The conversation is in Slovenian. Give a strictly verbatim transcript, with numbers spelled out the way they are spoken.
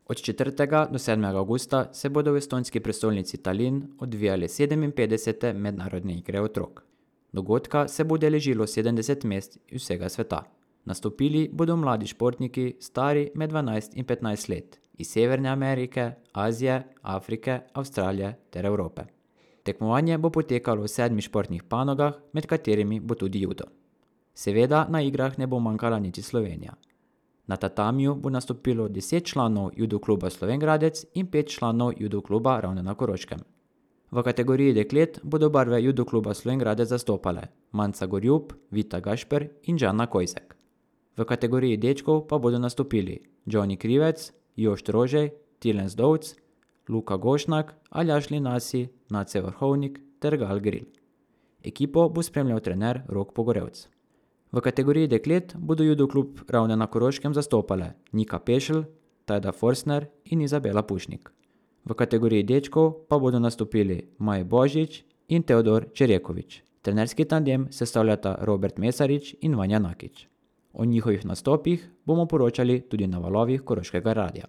Od četrtega do sedmega avgusta se bodo v estonski prestolnici Talinn odvijale sedeminpetdesete mednarodne igre otrok. Dogodka se bo udeležilo sedemdeset mest iz vsega sveta. Nastopili bodo mladi športniki, stari med dvanajst in petnajst let, iz Severne Amerike, Azije, Afrike, Avstralije ter Evrope. Tekmovanje bo potekalo v sedmih športnih panogah, med katerimi bo tudi judo. Seveda na igrah ne bo manjkala niti Slovenija. Na tatamiju bo nastopilo deset članov judo kluba Slovenj Gradec in pet članov judo kluba Ravne na Koroškem. V kategoriji deklet bodo barve judo kluba Slovenj Gradec zastopale Manca Gorjup, Vita Gašper in Žana Kojzek. V kategoriji dečkov pa bodo nastopili Johnny Krivec, Jošt Rožej, Tilen Zdovc, Luka Gošnak, Aljaž Linasi, Nace Vrhovnik ter Gal Gril. Ekipo bo spremljal trener Rok Pogorevc. V kategoriji deklet bodo judo klub Ravne na Koroškem zastopale Nika Pešelj, Tajda Forstner in Izabela Pušnik. V kategoriji dečkov pa bodo nastopili Maj Božič in Teodor Čerjekovič. Trenerski tandem sestavljata Robert Mesarič in Vanja Nakič. O njihovih nastopih bomo poročali tudi na valovih Koroškega radia.